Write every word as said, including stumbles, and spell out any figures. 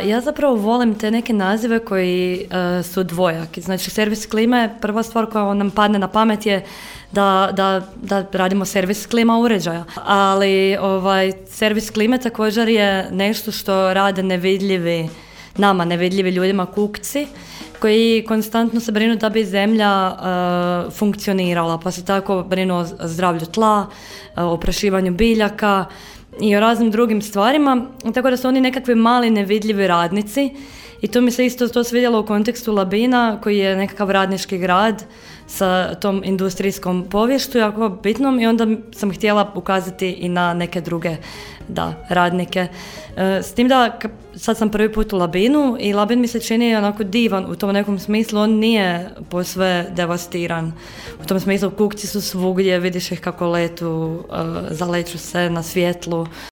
ja zapravo volim te neke nazive koji uh, su dvojaki. Znači, servis klime, prva stvar koja nam padne na pamet je da, da, da radimo servis klima uređaja. Ali ovaj, servis klime također je nešto što rade nevidljivi, nama nevidljivi ljudima kukci, koji konstantno se brinu da bi zemlja uh, funkcionirala, pa se tako brinu o zdravlju tla, uh, o oprašivanju biljaka i o raznim drugim stvarima, tako da su oni nekakvi mali nevidljivi radnici i to mi se isto to svidjelo u kontekstu Labina, koji je nekakav radnički grad sa tom industrijskom poviješću jako bitnom, i onda sam htjela ukazati i na neke druge da, radnike. S tim da sad sam prvi put u Labinu i Labin mi se čini onako divan u tom nekom smislu, on nije posve devastiran. U tom smislu kukci su svugdje, vidiš ih kako letu, zaleću se na svjetlu.